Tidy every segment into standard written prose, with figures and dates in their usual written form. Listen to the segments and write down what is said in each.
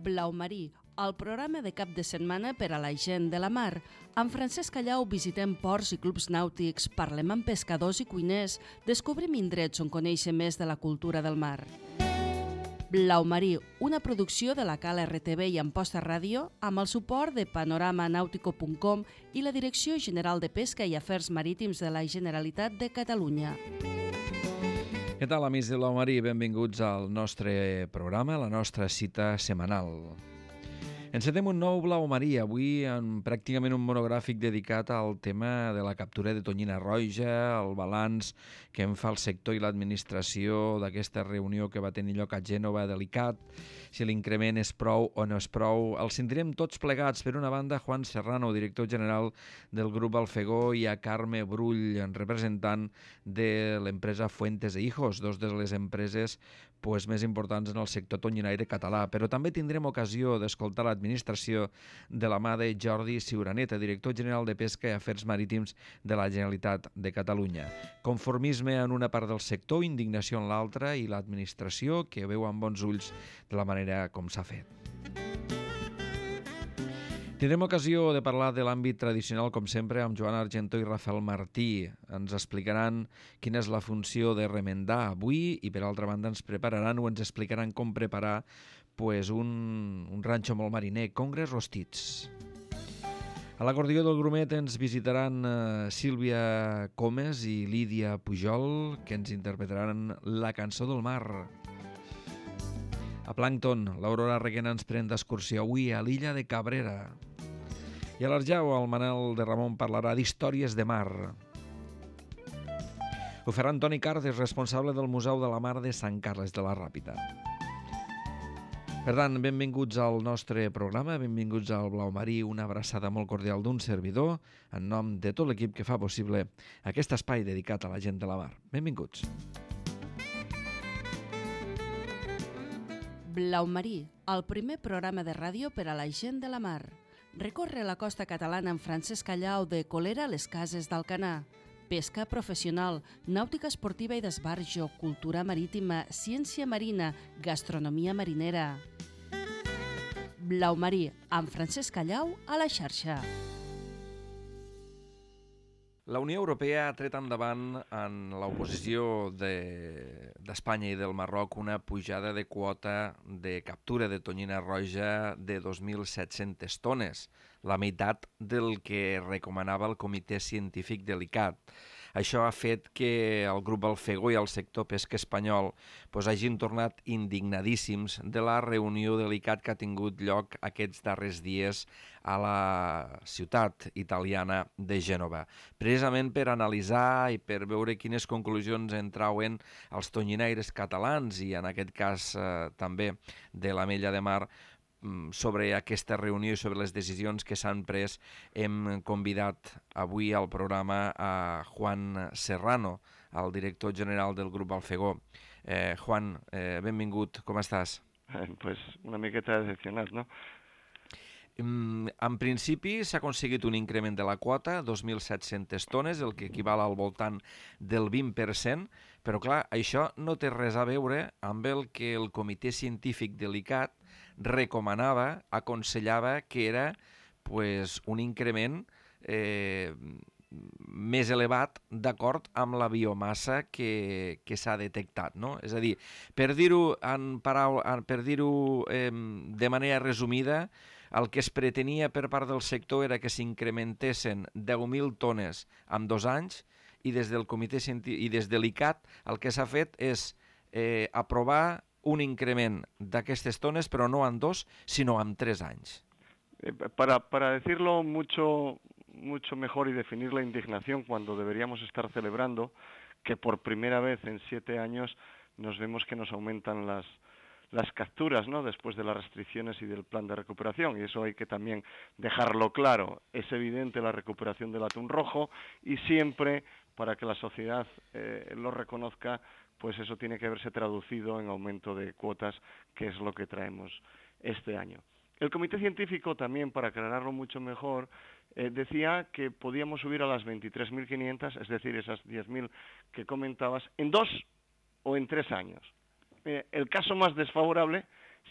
Blau Marí, el programa de cap de setmana per a la gent de la mar. Amb Francesc Callau visitem ports i clubs nàutics, parlem amb pescadors i cuiners, descobrim indrets on conèixer més de la cultura del mar. Blau Marí, una producció de la Cal RTV i Amposta Ràdio, amb el suport de panoramanautico.com i la Direcció General de Pesca i Afers Marítims de la Generalitat de Catalunya. Què tal, amics de Blau Marí? Benvinguts al nostre programa, a la nostra cita setmanal. Encetem un nou Blau Marí, avui en pràcticament un monogràfic dedicat al tema de la captura de tonyina roja, el balanç que en fa el sector i l'administració d'aquesta reunió que va tenir lloc a Gènova delicat, si l'increment és prou o no és prou. Els sentirem tots plegats, per una banda, Juan Serrano, director general del grup Alfegó, i a Carme Brull, representant de l'empresa Fuentes e Hijos, dos de les empreses més importants en el sector tonyinaire català. Però també tindrem ocasió d'escoltar l'administració de la mà de Jordi Ciuraneta, director general de Pesca i Afers Marítims de la Generalitat de Catalunya. Conformisme en una part del sector, indignació en l'altra, i l'administració que veu amb bons ulls de la manera com s'ha fet. Tindrem ocasió de parlar de l'àmbit tradicional, com sempre, amb Joan Argentó i Rafael Martí. Ens explicaran quina és la funció de remendar avui i, per altra banda, ens prepararan o ens explicaran com preparar un ranxo molt mariner, congres rostits. A l'acordió del Grumet ens visitaran Sílvia Comes i Lídia Pujol, que ens interpretaran la cançó del mar. A Plàncton, l'Aurora Reguena ens pren d'excursió avui a l'illa de Cabrera. I a l'Arjau, el Manel de Ramon parlarà d'històries de mar. Ho farà Antoni Cardes, responsable del Museu de la Mar de Sant Carles de la Ràpita. Per tant, benvinguts al nostre programa, benvinguts al Blau Marí, una abraçada molt cordial d'un servidor, en nom de tot l'equip que fa possible aquest espai dedicat a la gent de la mar. Benvinguts. Blau Marí, el primer programa de ràdio per a la gent de la mar. Recorre la costa catalana amb Francesc Callau de Colera a les Cases d'Alcanar. Pesca professional, nàutica esportiva i d'esbarjo, cultura marítima, ciència marina, gastronomia marinera. Blau Marí, amb Francesc Callau a la xarxa. La Unió Europea ha tret endavant en l'oposició d'Espanya i del Marroc una pujada de quota de captura de tonyina roja de 2.700 tones, la meitat del que recomanava el Comitè Científic de l'ICCAT. Això ha fet que el grup Alfegó i el sector pesca espanyol hagin tornat indignadíssims de la reunió de l'ICCAT que ha tingut lloc aquests darrers dies a la ciutat italiana de Gènova. Precisament per analitzar i per veure quines conclusions en trauen els tonyinaires catalans i en aquest cas també de l'Amella de Mar sobre aquesta reunió i sobre les decisions que s'han pres. Hem convidat avui al programa a Juan Serrano, el director general del grup Alfegó. Juan, benvingut, com estàs? Pues una miqueta decepcionat, no? En principi s'ha aconseguit un increment de la quota, 2.700 tones, el que equival al voltant del 20%, però clar, això no té res a veure amb el que el Comitè Científic de l'ICCAT recomanava, aconsellava que era un increment més elevat d'acord amb la biomassa que s'ha detectat, no? És a dir, per dir-ho de manera resumida, el que es pretenia per part del sector era que s'incrementessin 10.000 tones en 2 anys i des del Comitè Científic i des de l'ICCAT el que s'ha fet és aprovar un increment d'aquestes tones, però no en 2, sinó en 3 anys. Para decirlo mucho mejor y definir la indignación cuando deberíamos estar celebrando que por primera vez en 7 años nos vemos que nos aumentan las capturas, ¿no? Después de las restricciones y del plan de recuperación, y eso hay que también dejarlo claro. Es evidente la recuperación del atún rojo y siempre, para que la sociedad lo reconozca, pues eso tiene que verse traducido en aumento de cuotas, que es lo que traemos este año. El Comité Científico también, para aclararlo mucho mejor, decía que podíamos subir a las 23.500, es decir, esas 10.000 que comentabas, en 2 o en 3 años. El caso más desfavorable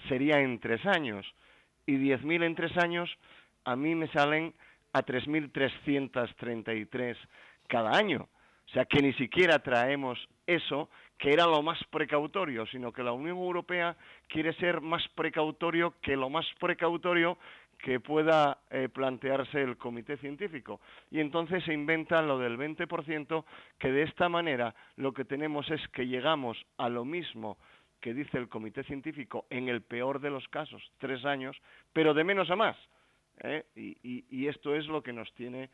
sería en 3 años. Y 10.000 en 3 años a mí me salen a 3.333 cada año. O sea que ni siquiera traemos eso, que era lo más precautorio, sino que la Unión Europea quiere ser más precautorio que lo más precautorio que pueda plantearse el comité científico. Y entonces se inventa lo del 20%, que de esta manera lo que tenemos es que llegamos a lo mismo que dice el comité científico en el peor de los casos, 3 años, pero de menos a más. Y esto es lo que nos tiene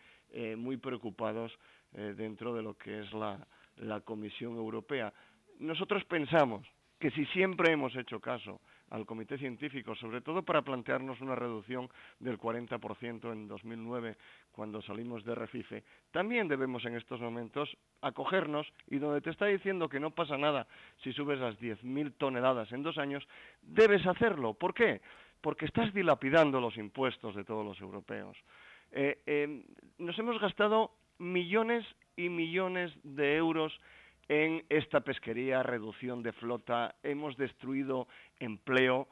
muy preocupados dentro de lo que es la Comisión Europea. Nosotros pensamos que si siempre hemos hecho caso al Comité Científico, sobre todo para plantearnos una reducción del 40% en 2009, cuando salimos de Refife, también debemos en estos momentos acogernos, y donde te está diciendo que no pasa nada si subes las 10.000 toneladas en 2 años, debes hacerlo. ¿Por qué? Porque estás dilapidando los impuestos de todos los europeos. Nos hemos gastado millones y millones de euros en esta pesquería, reducción de flota, hemos destruido empleo.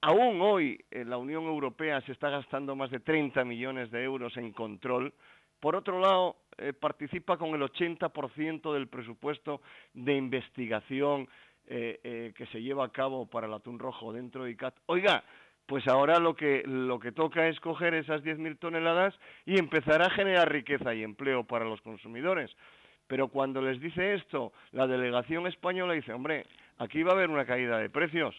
Aún hoy la Unión Europea se está gastando más de 30 millones de euros en control. Por otro lado, participa con el 80% del presupuesto de investigación que se lleva a cabo para el atún rojo dentro de ICCAT. Oiga, pues ahora lo que toca es coger esas 10.000 toneladas y empezar a generar riqueza y empleo para los consumidores. Pero cuando les dice esto, la delegación española dice, hombre, aquí va a haber una caída de precios.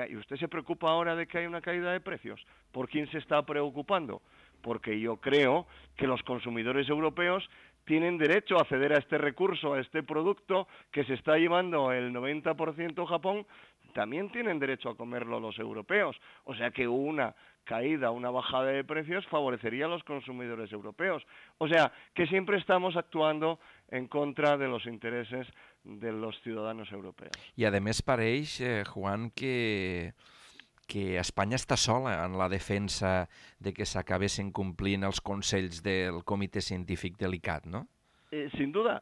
¿Y usted se preocupa ahora de que hay una caída de precios? ¿Por quién se está preocupando? Porque yo creo que los consumidores europeos tienen derecho a acceder a este recurso, a este producto que se está llevando el 90% Japón, también tienen derecho a comerlo los europeos. O sea que una caída, una bajada de precios favorecería a los consumidores europeos. O sea que siempre estamos actuando en contra de los intereses de los ciudadanos europeos. I a més pareix, Juan, que Espanya està sola en la defensa de que s'acabessin complint els consells del Comitè Científic de l'ICCAT, no? Sin duda,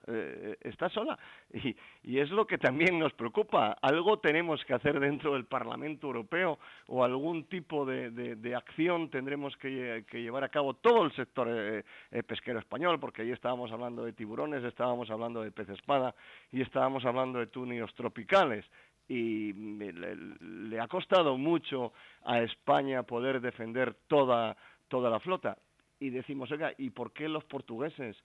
está sola. Y es lo que también nos preocupa. Algo tenemos que hacer dentro del Parlamento Europeo o algún tipo de acción tendremos que llevar a cabo todo el sector pesquero español, porque ahí estábamos hablando de tiburones, estábamos hablando de pez espada y estábamos hablando de tunios tropicales. Y le ha costado mucho a España poder defender toda la flota. Y decimos, oiga, ¿y por qué los portugueses,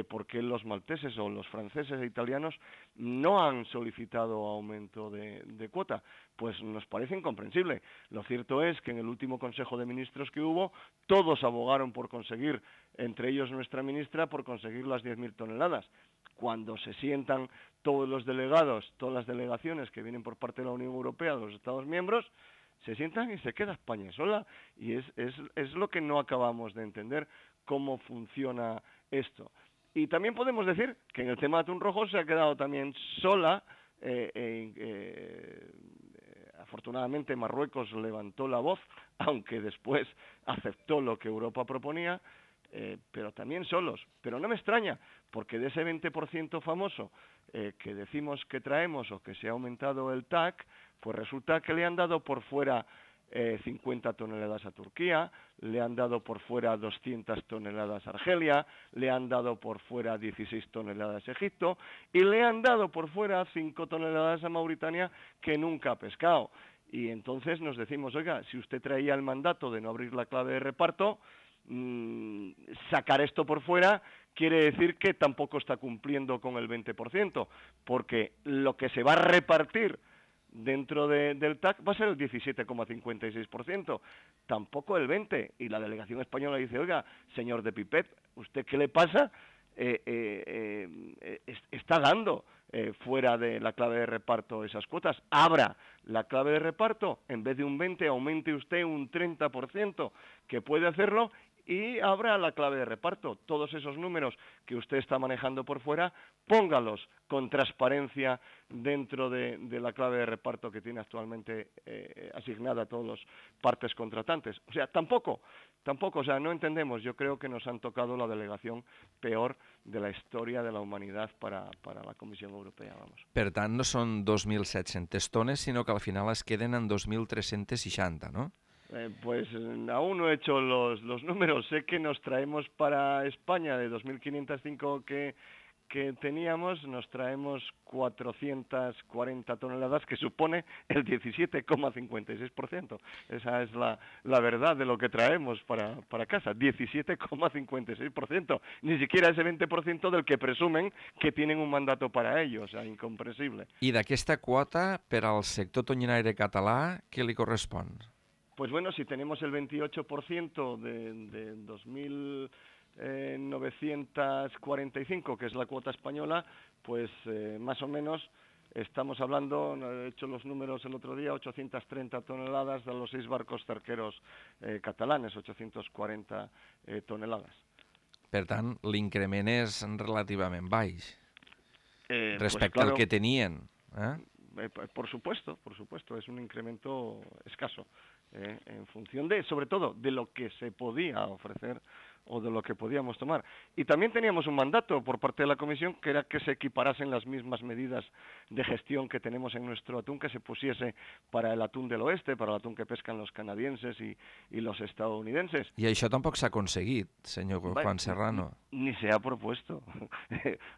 por qué los malteses o los franceses e italianos no han solicitado aumento de cuota? Pues nos parece incomprensible. Lo cierto es que en el último Consejo de Ministros que hubo, todos abogaron por conseguir, entre ellos nuestra ministra, por conseguir las 10.000 toneladas. Cuando se sientan todos los delegados, todas las delegaciones que vienen por parte de la Unión Europea, de los Estados miembros, se sientan y se queda España sola, y es lo que no acabamos de entender, cómo funciona esto. Y también podemos decir que en el tema de atún rojo se ha quedado también sola. Afortunadamente Marruecos levantó la voz, aunque después aceptó lo que Europa proponía, pero también solos. Pero no me extraña, porque de ese 20% famoso que decimos que traemos o que se ha aumentado el TAC, pues resulta que le han dado por fuera 50 toneladas a Turquía, le han dado por fuera 200 toneladas a Argelia, le han dado por fuera 16 toneladas a Egipto y le han dado por fuera 5 toneladas a Mauritania, que nunca ha pescado. Y entonces nos decimos, oiga, si usted traía el mandato de no abrir la clave de reparto, sacar esto por fuera quiere decir que tampoco está cumpliendo con el 20%, porque lo que se va a repartir dentro del TAC va a ser el 17,56%, tampoco el 20%. Y la delegación española dice, oiga, señor de Pipet, ¿usted qué le pasa? Está dando fuera de la clave de reparto esas cuotas. Abra la clave de reparto, en vez de un 20%, aumente usted un 30%, que puede hacerlo, y abra la clave de reparto. Todos esos números que usted está manejando por fuera, póngalos con transparencia dentro de la clave de reparto que tiene actualmente asignada a todos los partes contratantes. O sea, tampoco, o sea, no entendemos. Yo creo que nos han tocado la delegación peor de la historia de la humanidad para la Comisión Europea, vamos. Per tant, no són 2.700 tones, sinó que al final es queden en 2.360, ¿no? Pues aún no he hecho los números. Sé que nos traemos para España de 2.505 que teníamos, nos traemos 440 toneladas, que supone el 17,56%. Esa es la verdad de lo que traemos para casa, 17,56%. Ni siquiera ese 20% del que presumen que tienen un mandato para ello, o sea, incomprensible. I d'aquesta quota, per al sector tonyinaire català, què li correspon? Pues bueno, si tenemos el 28% de 2.945, que es la cuota española, pues más o menos estamos hablando, he hecho los números el otro día, 830 toneladas de los 6 barcos cerqueros catalanes, 840 toneladas. Per tant, l'increment és relativament baix respecte pues claro, al que tenien. Por supuesto, es un incremento escaso. En función de, sobre todo, de lo que se podía ofrecer o de lo que podíamos tomar. Y también teníamos un mandato por parte de la Comisión, que era que se equiparasen las mismas medidas de gestión que tenemos en nuestro atún, que se pusiese para el atún del oeste, para el atún que pescan los canadienses y los estadounidenses. I això tampoc s'ha aconseguit, senyor Juan Serrano. Ni se ha propuesto.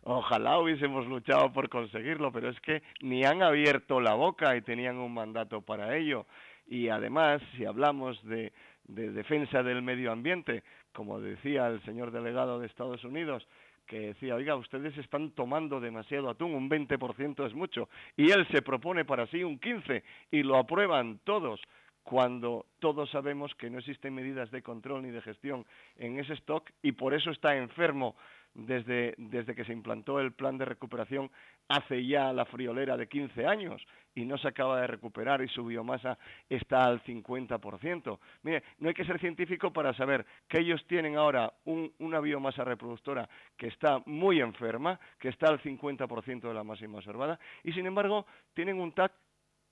Ojalá hubiésemos luchado por conseguirlo, pero es que ni han abierto la boca y tenían un mandato para ello. Y además, si hablamos de defensa del medio ambiente, como decía el señor delegado de Estados Unidos, que decía, oiga, ustedes están tomando demasiado atún, un 20% es mucho, y él se propone para sí un 15%, y lo aprueban todos, cuando todos sabemos que no existen medidas de control ni de gestión en ese stock, y por eso está enfermo desde que se implantó el plan de recuperación hace ya la friolera de 15 años y no se acaba de recuperar y su biomasa está al 50%. Mire, no hay que ser científico para saber que ellos tienen ahora una biomasa reproductora que está muy enferma, que está al 50% de la máxima observada y sin embargo tienen un TAC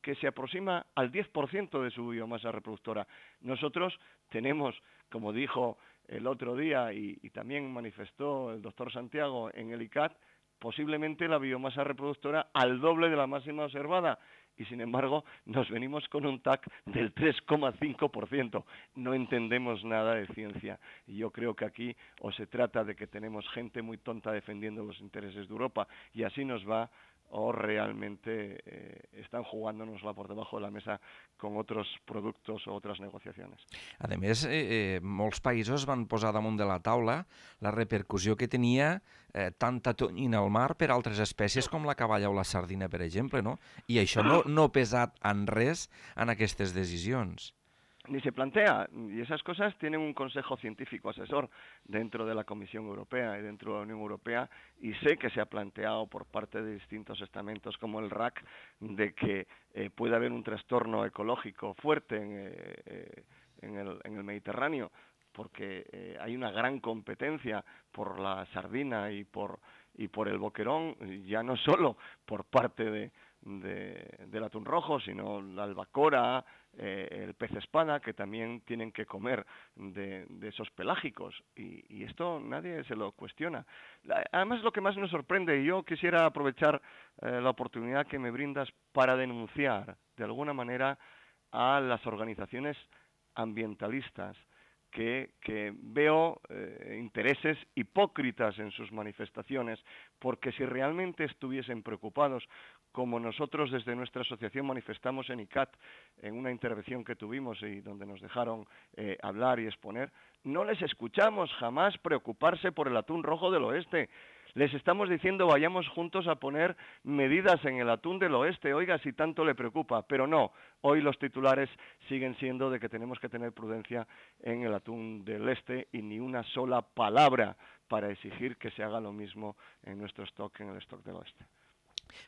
que se aproxima al 10% de su biomasa reproductora. Nosotros tenemos, como dijo el otro día y también manifestó el doctor Santiago en el ICAT, posiblemente la biomasa reproductora al doble de la máxima observada y sin embargo nos venimos con un TAC del 3,5%. No entendemos nada de ciencia y yo creo que aquí o se trata de que tenemos gente muy tonta defendiendo los intereses de Europa y así nos va, o realmente están jugándonosla por debajo de la mesa con otros productos o otras negociaciones. A més, molts països van posar damunt de la taula la repercussió que tenia tanta tonyina al mar per altres espècies com la caballa o la sardina, per exemple, no? I això no ha pesat en res en aquestes decisions. Ni se plantea, y esas cosas tienen un consejo científico asesor dentro de la Comisión Europea y dentro de la Unión Europea, y sé que se ha planteado por parte de distintos estamentos como el RAC de que puede haber un trastorno ecológico fuerte en el Mediterráneo, porque hay una gran competencia por la sardina y por el boquerón, ya no solo por parte del atún rojo, sino la albacora, el pez espada, que también tienen que comer de esos pelágicos, y esto nadie se lo cuestiona. Además, lo que más nos sorprende, y yo quisiera aprovechar la oportunidad que me brindas para denunciar de alguna manera a las organizaciones ambientalistas, que veo intereses hipócritas en sus manifestaciones, porque si realmente estuviesen preocupados, como nosotros desde nuestra asociación manifestamos en ICAT, en una intervención que tuvimos y donde nos dejaron hablar y exponer, no les escuchamos jamás preocuparse por el atún rojo del oeste. Les estamos diciendo vayamos juntos a poner medidas en el atún del oeste, oiga, si tanto le preocupa, pero no, hoy los titulares siguen siendo de que tenemos que tener prudencia en el atún del este y ni una sola palabra para exigir que se haga lo mismo en nuestro stock, en el stock del oeste.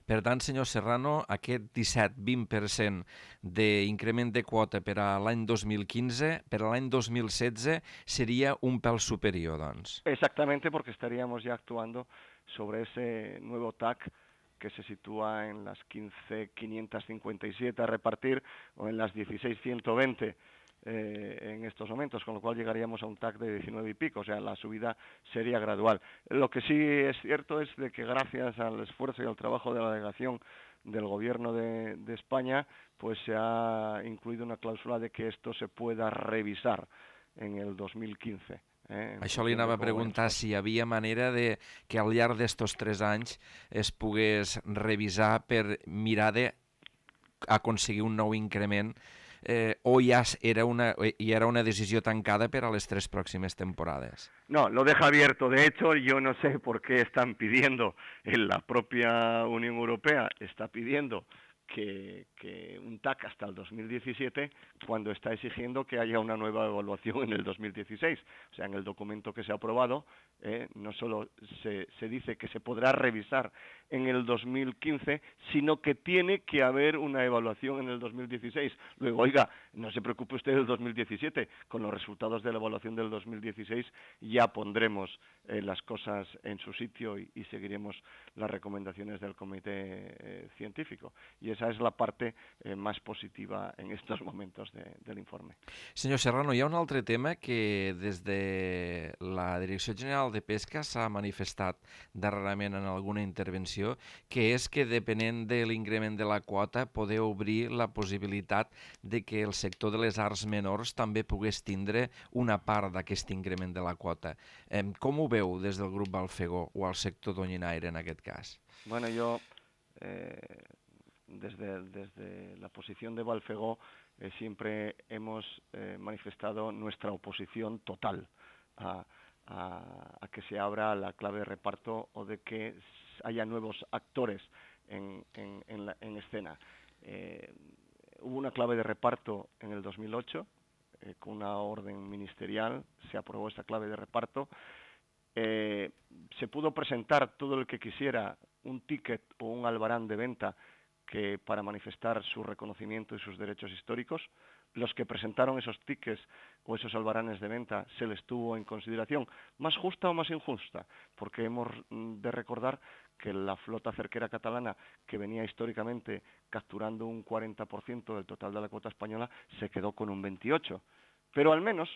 Per tant, senyor Serrano, aquest 17-20% d'increment de quota per a l'any 2015, per a l'any 2016 seria un pèl superior, doncs. Exactamente, porque estaríamos ya actuando sobre ese nuevo TAC que se sitúa en las 15.557 a repartir o en las 16.120 en estos momentos, con lo cual llegaríamos a un TAC de 19 y pico, o sea, la subida sería gradual. Lo que sí es cierto es de que gracias al esfuerzo y al trabajo de la delegación del Gobierno de España, pues se ha incluido una cláusula de que esto se pueda revisar en el 2015. Això li anava a preguntar si hi havia manera de que al llarg d'estos 3 anys es pogués revisar per mirar d'aconseguir un nou increment o ya era una decisión tancada para las 3 próximas temporadas. No, lo deja abierto. De hecho, yo no sé por qué están pidiendo, en la propia Unión Europea está pidiendo que un TAC hasta el 2017 cuando está exigiendo que haya una nueva evaluación en el 2016. O sea, en el documento que se ha aprobado no solo se dice que se podrá revisar en el 2015, sino que tiene que haber una evaluación en el 2016. Luego, oiga, no se preocupe usted del 2017, con los resultados de la evaluación del 2016 ya pondremos las cosas en su sitio y seguiremos las recomendaciones del comité científico. Y esa es la parte más positiva en estos momentos del informe. Senyor Serrano, hi ha un altre tema que des de la Direcció General de Pesca s'ha manifestat darrerament en alguna intervenció, que és que depenent de l'increment de la quota podeu obrir la possibilitat de que el sector de les arts menors també pogués tindre una part d'aquest increment de la quota. Com ho veu des del grup Balfegó o el sector Doñinaire en aquest cas? Bueno, yo desde la posición de Balfegó siempre hemos manifestado nuestra oposición total a que se abra la clave de reparto o de que haya nuevos actores en escena. Hubo una clave de reparto en el 2008, con una orden ministerial, se aprobó esta clave de reparto. Se pudo presentar todo el que quisiera un ticket o un albarán de venta que para manifestar su reconocimiento y sus derechos históricos. Los que presentaron esos tickets o esos albaranes de venta se les tuvo en consideración, más justa o más injusta, porque hemos de recordar que la flota cerquera catalana, que venía históricamente capturando un 40% del total de la cuota española, se quedó con un 28%. Pero al menos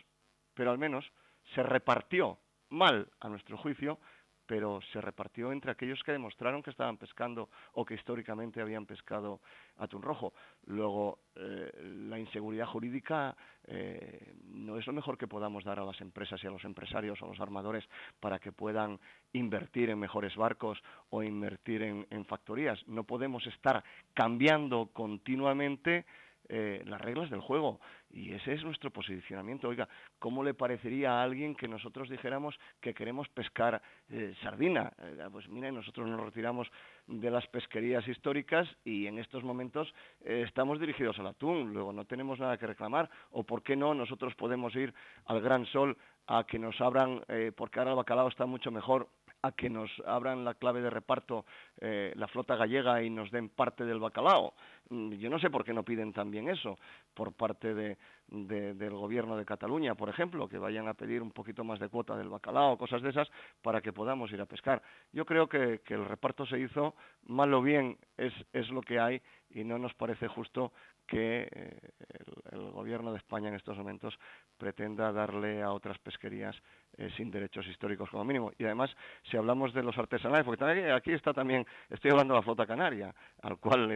se repartió mal, a nuestro juicio, pero se repartió entre aquellos que demostraron que estaban pescando o que históricamente habían pescado atún rojo. Luego, la inseguridad jurídica no es lo mejor que podamos dar a las empresas y a los empresarios o a los armadores para que puedan invertir en mejores barcos o invertir en factorías. No podemos estar cambiando continuamente las reglas del juego, y ese es nuestro posicionamiento. Oiga, ¿cómo le parecería a alguien que nosotros dijéramos que queremos pescar sardina? Pues mira, nosotros nos retiramos de las pesquerías históricas y en estos momentos estamos dirigidos al atún, luego no tenemos nada que reclamar. O ¿por qué no nosotros podemos ir al Gran Sol a que nos abran, porque ahora el bacalao está mucho mejor, a que nos abran la clave de reparto la flota gallega y nos den parte del bacalao? Yo no sé por qué no piden también eso por parte del gobierno de Cataluña, por ejemplo, que vayan a pedir un poquito más de cuota del bacalao, cosas de esas, para que podamos ir a pescar. Yo creo que el reparto se hizo, mal o bien es lo que hay, y no nos parece justo que el gobierno de España en estos momentos pretenda darle a otras pesquerías sin derechos históricos como mínimo. Y además, si hablamos de los artesanales, porque también aquí está también, estoy hablando de la flota canaria, al cual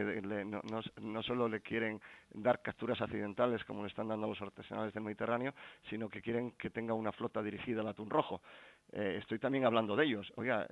no solo le quieren dar capturas accidentales como le están dando a los artesanales del Mediterráneo, sino que quieren que tenga una flota dirigida al atún rojo. Estoy también hablando de ellos. Oiga,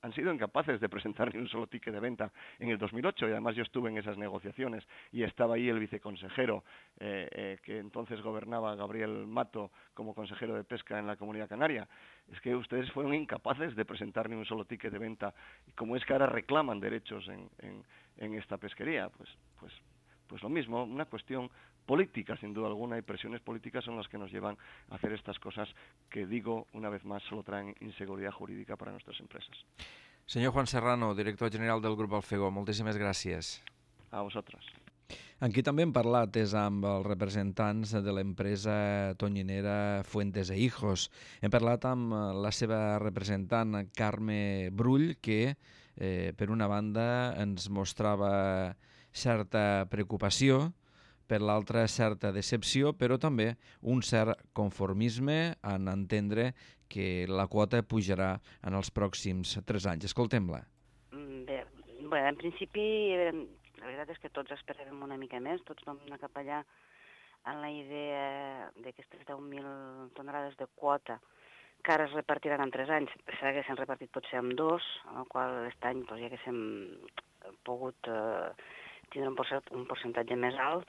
han sido incapaces de presentar ni un solo ticket de venta en el 2008, y además yo estuve en esas negociaciones y estaba ahí el viceconsejero que entonces gobernaba, Gabriel Mato, como consejero de pesca en la Comunidad Canaria. Es que ustedes fueron incapaces de presentar ni un solo ticket de venta, y como es que ahora reclaman derechos en esta pesquería, pues lo mismo, una cuestión política, sin duda alguna, y presiones políticas son las que nos llevan a hacer estas cosas que, digo una vez más, solo traen inseguridad jurídica para nuestras empresas. Senyor Juan Serrano, director general del Grup Alfegó, moltíssimes gràcies. A vosaltres. Amb qui també hem parlat és amb els representants de l'empresa tonyinera Fuentes e Hijos. Hem parlat amb la seva representant, Carme Brull, que per una banda ens mostrava certa preocupació, per l'altra certa decepció, però també un cert conformisme en entendre que la quota pujarà en els pròxims 3 anys. Escoltem-la. Bé, en principi, la veritat és que tots esperàvem una mica més, tots vam anar cap allà amb la idea d'aquestes 10.000 tonelades de quota que ara es repartiran en 3 anys. S'haguessin repartit potser en 2, en el qual aquest any ja haguéssim pogut tindre un percentatge més alt.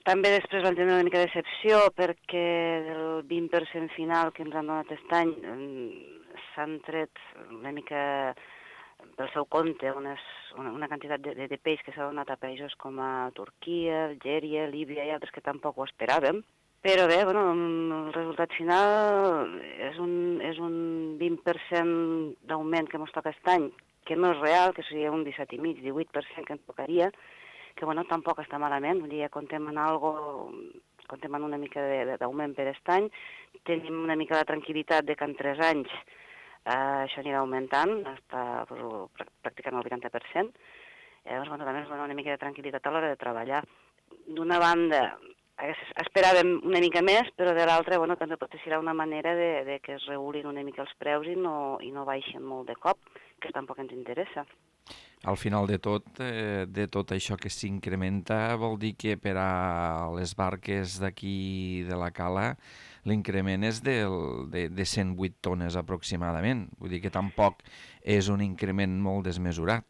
També després vam tenir una mica de decepció perquè del 20% final que ens han donat aquest any s'han tret una mica pel seu compte una quantitat de peix que s'ha donat a països com a Turquia, Algèria, Líbia i altres que tampoc ho esperàvem. Però bé, el resultat final és un 20% d'augment que ens toca aquest any, que no és real, que seria un 17,5, 18% que ens tocaria, que tampoc està malament, vull dir, comptem en una mica d'augment per aquest any, tenim una mica de tranquil·litat de que en 3 anys això anirà augmentant, està pràcticament el 80%, llavors també és una mica de tranquil·litat a l'hora de treballar. D'una banda, esperàvem una mica més, però de l'altra també potser serà una manera de que es regulin una mica els preus i no baixin molt de cop, que tampoc ens interessa. Al final de tot això que s'incrementa vol dir que per a les barques d'aquí de la cala l'increment és de 108 tones aproximadament. Vull dir que tampoc és un increment molt desmesurat.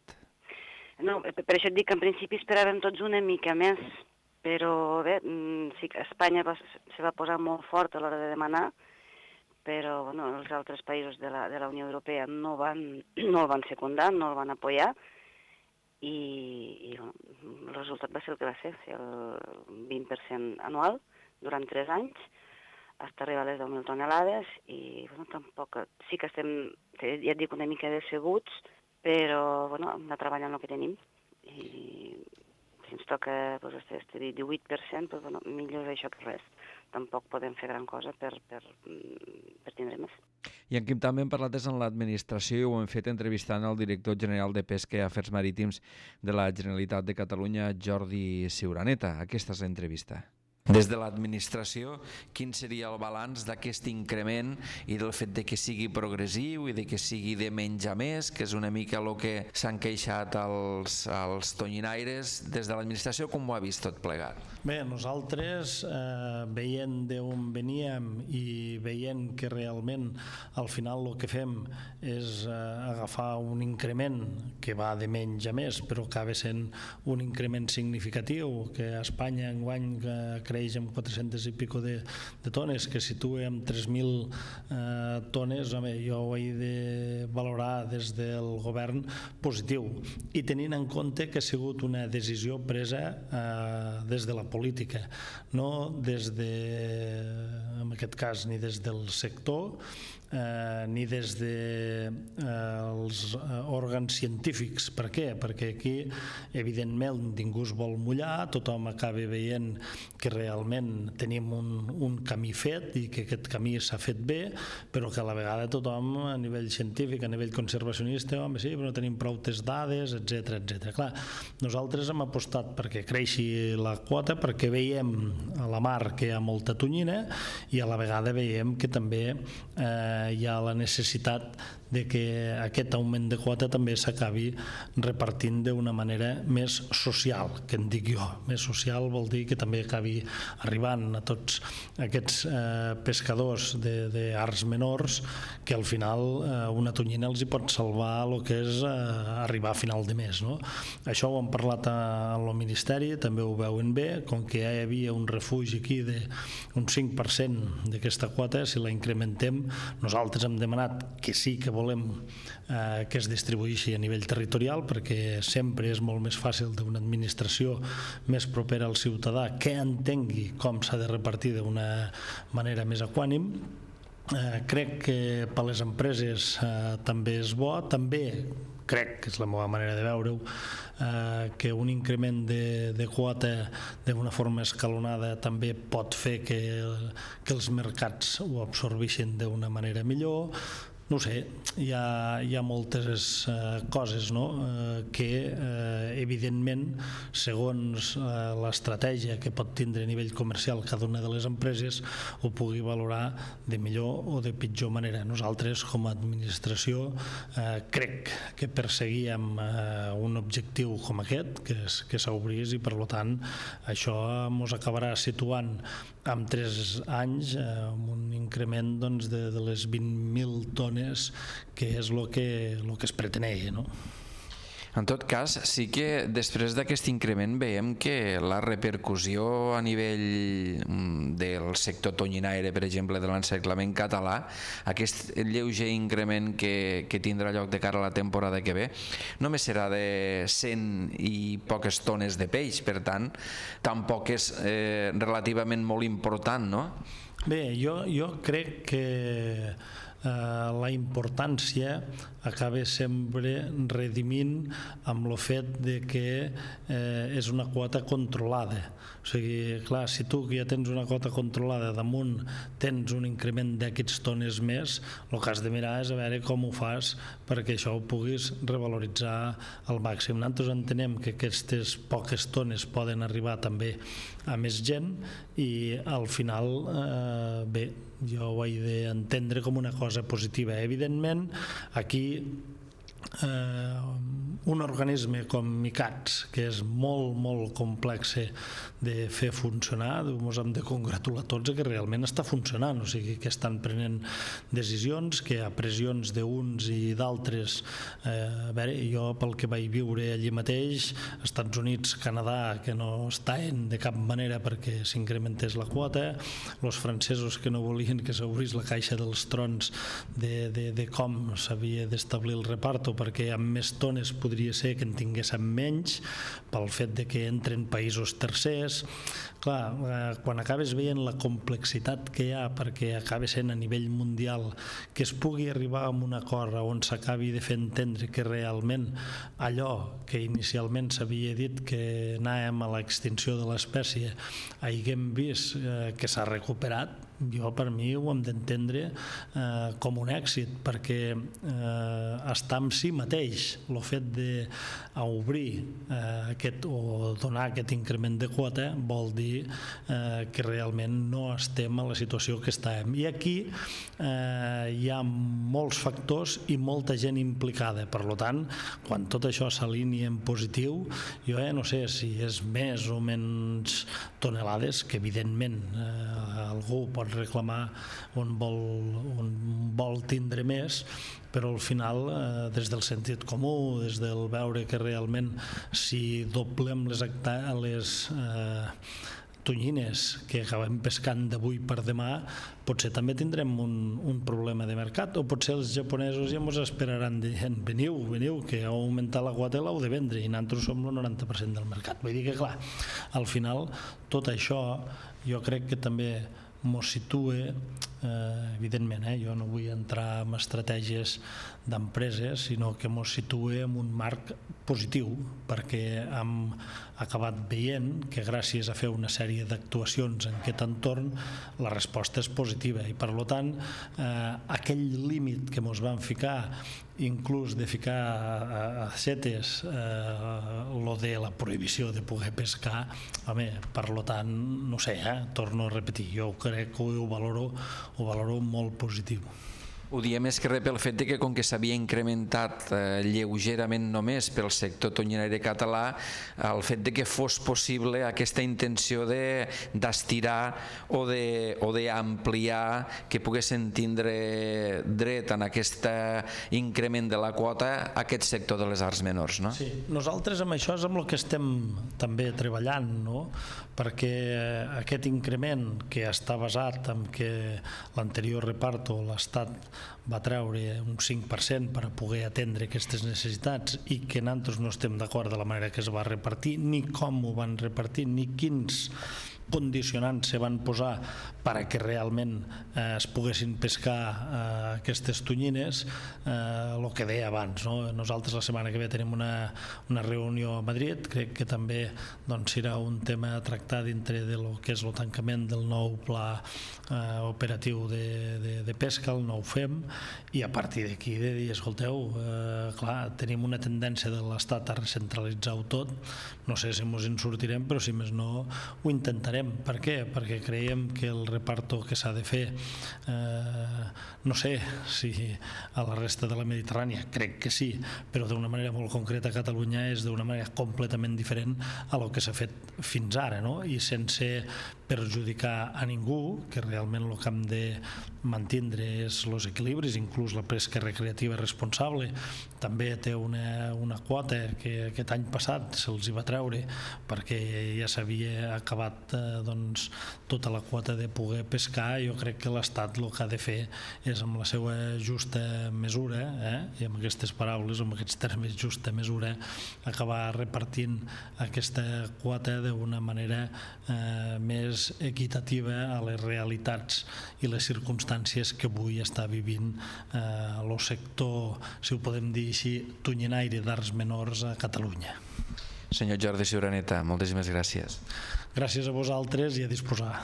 No, per això et dic que en principi esperàvem tots una mica més, però bé, sí que Espanya se va posar molt fort a l'hora de demanar, però els altres països de la Unió Europea no el van secundar, no el van apoyar, i el resultat va ser el que va ser, el 20% anual durant 3 anys, fins a arribar a les 10.000 tonelades, i tampoc, sí que estem, ja et dic, una mica decebuts, però hem de treballar en el que tenim, i si ens toca este 18%, millor això que res. Tampoc podem fer gran cosa per tindre més. I en qui també hem parlat és en l'administració i ho hem fet entrevistant el director general de Pesca i Afers Marítims de la Generalitat de Catalunya, Jordi Ciuraneta. Aquesta és l'entrevista. Des de l'administració, quin seria el balanç d'aquest increment i del fet de que sigui progressiu i de que sigui de menys a més, que és una mica el que s'han queixat els tonyinaires? Des de l'administració, com ho ha vist tot plegat? Bé, nosaltres, veient d'on veníem i veient que realment al final el que fem és agafar un increment que va de menys a més, però acaba sent un increment significatiu, que a Espanya enguany creix amb 400 i pico de tones, que situa amb 3.000 tones, home, jo ho he de valorar des del govern positiu, i tenint en compte que ha sigut una decisió presa des de la política, no des de, en aquest cas, ni des del sector, ni des dels òrgans científics. Per què? Perquè aquí, evidentment, ningú es vol mullar, tothom acaba veient que realment tenim un camí fet i que aquest camí s'ha fet bé, però que a la vegada tothom, a nivell científic, a nivell conservacionista, home, sí, però no tenim prou dades, etc. Clar, nosaltres hem apostat perquè creixi la quota, perquè veiem a la mar que hi ha molta tonyina i a la vegada veiem que també hi ha la necessitat de que aquest augment de quota també s'acabi repartint d'una manera més social, que en dic jo. Més social vol dir que també acabi arribant a tots aquests pescadors d'arts menors, que al final una tonyina els hi pot salvar el que és arribar a final de mes, no? Això ho hem parlat al Ministeri, també ho veuen bé, com que ja hi havia un refugi aquí d'un 5% d'aquesta quota, si la incrementem, nosaltres hem demanat que sí que volem que es distribueixi a nivell territorial, perquè sempre és molt més fàcil d'una administració més propera al ciutadà que entengui com s'ha de repartir d'una manera més equànime. Crec que per les empreses també és bo, també crec, que és la meva manera de veure-ho, que un increment de quota d'una forma escalonada també pot fer que els mercats ho absorbeixin d'una manera millor. No sé, hi ha moltes coses, no? Que evidentment, segons l'estratègia que pot tindre a nivell comercial cada una de les empreses, ho pugui valorar de millor o de pitjor manera. Nosaltres, com a administració, crec que perseguíem un objectiu com aquest, que s'obrís, i per tant això ens acabarà situant en 3 anys amb un increment de les 20.000 tones, que és el que es pretenia, no? En tot cas, sí que després d'aquest increment veiem que la repercussió a nivell del sector tonyinaire, per exemple, de l'encerclament català, aquest lleuger increment que tindrà lloc de cara a la temporada que ve, només serà de 100 i poques tones de peix, per tant, tampoc és relativament molt important, no? Bé, jo crec que la importància acaba sempre redimint amb el fet de que és una quota controlada. O sigui, clar, si tu que ja tens una quota controlada damunt tens un increment d'aquests tones més, el que has de mirar és a veure com ho fas perquè això ho puguis revaloritzar al màxim. Nosaltres entenem que aquestes poques tones poden arribar també a més gent i al final, bé, jo ho he d'entendre com una cosa positiva. Evidentment, aquí un organisme com ICATS, que és molt, molt complex de fer funcionar, ens hem de congratular tots que realment està funcionant, o sigui que estan prenent decisions, que a pressions d'uns i d'altres, a veure, jo pel que vaig viure allí mateix, Estats Units, Canadà, que no estaven de cap manera perquè s'incrementés la quota, els francesos que no volien que s'obrís la caixa dels trons de com s'havia d'establir el reparto, perquè amb més tones podria ser que en tinguéssim menys pel fet de que entren països tercers. Clar, quan acabes veient la complexitat que hi ha, perquè acaba sent a nivell mundial, que es pugui arribar a un acord on s'acabi de fer entendre que realment allò que inicialment s'havia dit que anàvem a l'extinció de l'espècie haguem vist que s'ha recuperat, jo per mi ho hem d'entendre com un èxit, perquè està en si mateix el fet d'obrir o donar aquest increment de quota vol dir que realment no estem a la situació que estàvem. I aquí hi ha molts factors i molta gent implicada, per tant, quan tot això s'alinea en positiu, jo no sé si és més o menys tonelades, que evidentment algú pot reclamar on vol tindre més, però al final des del sentit comú, des del veure que realment si doblem les tonyines que acabem pescant d'avui per demà, potser també tindrem un problema de mercat, o potser els japonesos ja ens esperaran dient veniu, que heu augmentat la quota i l'heu de vendre, i nosaltres som el 90% del mercat. Vull dir que clar, al final tot això jo crec que també mos situa, evidentment, jo no vull entrar en estratègies d'empreses, sinó que mos situa en un marc positiu, perquè hem acabat veient que gràcies a fer una sèrie d'actuacions en aquest entorn la resposta és positiva, i per tant aquell límit que mos van ficar, inclús de ficar a setes lo de la prohibició de poder pescar, home, per tant, no sé, torno a repetir, jo crec que ho valoro molt positiu. Ho diem més que res pel fet que com que s'havia incrementat lleugerament només pel sector tonyinaire català, el fet de que fos possible aquesta intenció d'estirar o d'ampliar, que poguessin tindre dret en aquest increment de la quota aquest sector de les arts menors, no? Sí, nosaltres amb això és amb el que estem també treballant, no? Perquè aquest increment que està basat en que l'anterior reparto l'Estat va treure un 5% per a poder atendre aquestes necessitats i que nosaltres no estem d'acord de la manera que es va repartir, ni com ho van repartir, ni quins condicionants se van posar perquè realment es poguessin pescar aquestes tonyines, el que deia abans, no? Nosaltres la setmana que ve tenim una reunió a Madrid, crec que també serà un tema a tractar dintre de lo que és el tancament del nou pla operatiu de pesca, el nou FEM, i a partir d'aquí de dir, escolteu, clar, tenim una tendència de l'Estat a recentralitzar-ho tot, no sé si ens en sortirem, però si més no ho intentarem. Per què? Perquè creiem que el reparto que s'ha de fer, no sé si a la resta de la Mediterrània, crec que sí, però d'una manera molt concreta a Catalunya és d'una manera completament diferent a lo que s'ha fet fins ara, no? I sense perjudicar a ningú, que realment el que hem de mantindre és els equilibris, inclús la pesca recreativa responsable també té una quota que aquest any passat se'ls hi va treure perquè ja s'havia acabat tota la quota de poder pescar. Jo crec que l'Estat el que ha de fer és amb la seva justa mesura, i amb aquestes paraules, amb aquests termes justa mesura, acabar repartint aquesta quota d'una manera més equitativa a les realitats i les circumstàncies que avui està vivint el sector, si ho podem dir així, tonyinaire d'arts menors a Catalunya. Senyor Jordi Ciuraneta, moltíssimes gràcies. Gràcies a vosaltres i a disposar.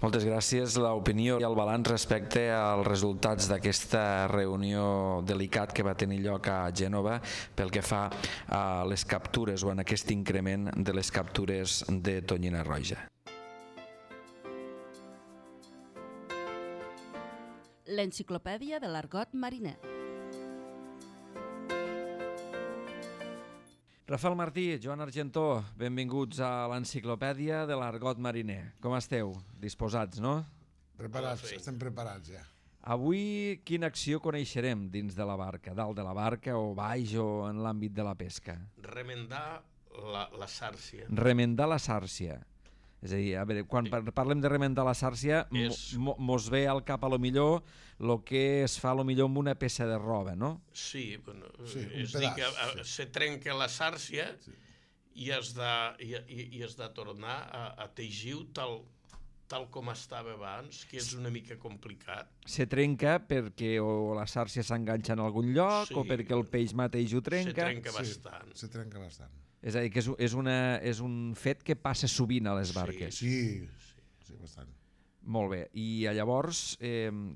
Moltes gràcies. L'opinió i el balanç respecte als resultats d'aquesta reunió delicat que va tenir lloc a Gènova pel que fa a les captures o en aquest increment de les captures de tonyina roja. L'enciclopèdia de l'argot mariner. Rafael Martí, Joan Argentó, benvinguts a l'enciclopèdia de l'argot mariner. Com esteu? Disposats, no? Preparats, estem preparats ja. Avui quina acció coneixerem dins de la barca? Dalt de la barca o baix o en l'àmbit de la pesca? Remendar la sàrcia. Remendar la sàrcia. És a dir, a veure, quan parlem de remendar la sàrcia, mos ve al cap a lo millor el que es fa a lo millor amb una peça de roba, no? Sí, bueno, és dir que se trenca la sàrcia i has de tornar a teixir-ho tal com estava abans, que és una mica complicat. Se trenca perquè o la sàrcia s'enganxa en algun lloc o perquè el peix mateix ho trenca. Se trenca bastant. Se trenca bastant. És a dir, que és un fet que passa sovint a les barques. Sí, bastant. Molt bé. I llavors,